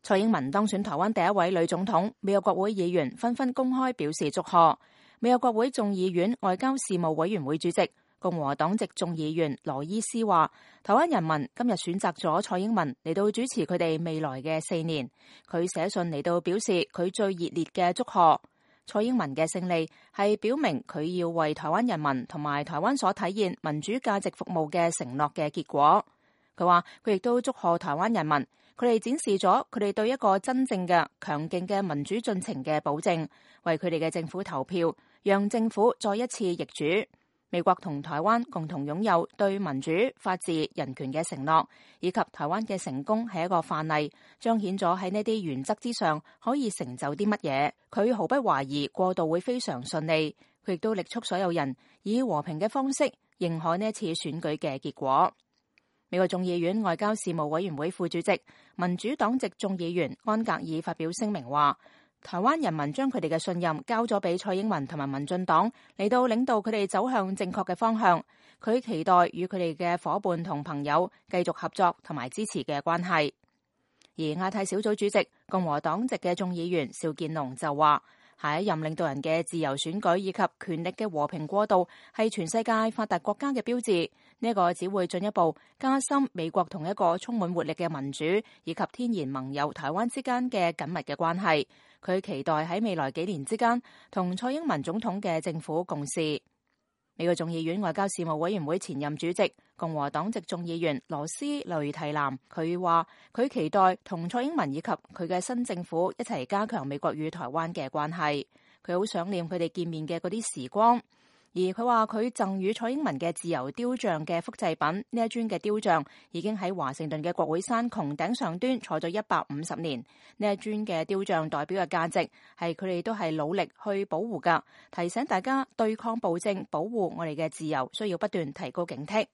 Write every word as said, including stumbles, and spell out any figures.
蔡英文當選台灣第一位女總統，美國國會議員紛紛公開表示祝賀。美國國會眾議院外交事務委員會主席共和黨籍眾議員羅伊斯話，台灣人民今日選擇咗蔡英文嚟到主持佢哋未來嘅四年。佢寫信嚟到表示佢最熱烈嘅祝賀。蔡英文嘅勝利係表明佢要為台灣人民同埋台灣所體現民主價值服務嘅承諾嘅結果。佢話佢亦都祝賀台灣人民，佢哋展示咗佢哋對一個真正嘅強勁嘅民主進程嘅保證，為佢哋嘅政府投票，讓政府再一次易主。美國同台灣共同擁有對民主、法治、人權嘅承諾，以及台灣嘅成功係一個範例，彰顯咗喺呢啲原則之上可以成就啲乜嘢。佢毫不懷疑過渡會非常順利，佢亦都力促所有人以和平嘅方式認可呢一次選舉嘅結果。美國眾議院外交事務委員會副主席、民主黨籍眾議員安格爾發表聲明話，台灣人民將佢哋嘅信任交咗俾蔡英文同埋民進黨嚟到領導佢哋走向正確嘅方向。佢期待與佢哋嘅夥伴同朋友繼續合作同埋支持嘅關係。而亞太小組主席共和黨籍嘅眾議員邵建龍就話，下一任領導人嘅自由選舉以及權力嘅和平過渡係全世界發達國家嘅標誌。呢個只會進一步加深美國同一個充滿活力嘅民主以及天然盟友台灣之間嘅緊密嘅關係。佢期待喺未來幾年之間同蔡英文總統嘅政府共事。美國眾議院外交事務委員會前任主席共和黨籍眾議員羅斯雷提南，佢話佢期待同蔡英文以及佢嘅新政府一齊加強美國與台灣嘅關係。佢好想念佢哋見面嘅嗰啲時光。而佢話佢贈予蔡英文嘅自由雕像嘅複製品，呢一尊嘅雕像已經喺華盛頓嘅國會山穹頂上端坐咗一百五十年。呢一尊嘅雕像代表嘅價值係佢哋都係努力去保護㗎，提醒大家對抗暴政、保護我哋嘅自由，需要不斷提高警惕。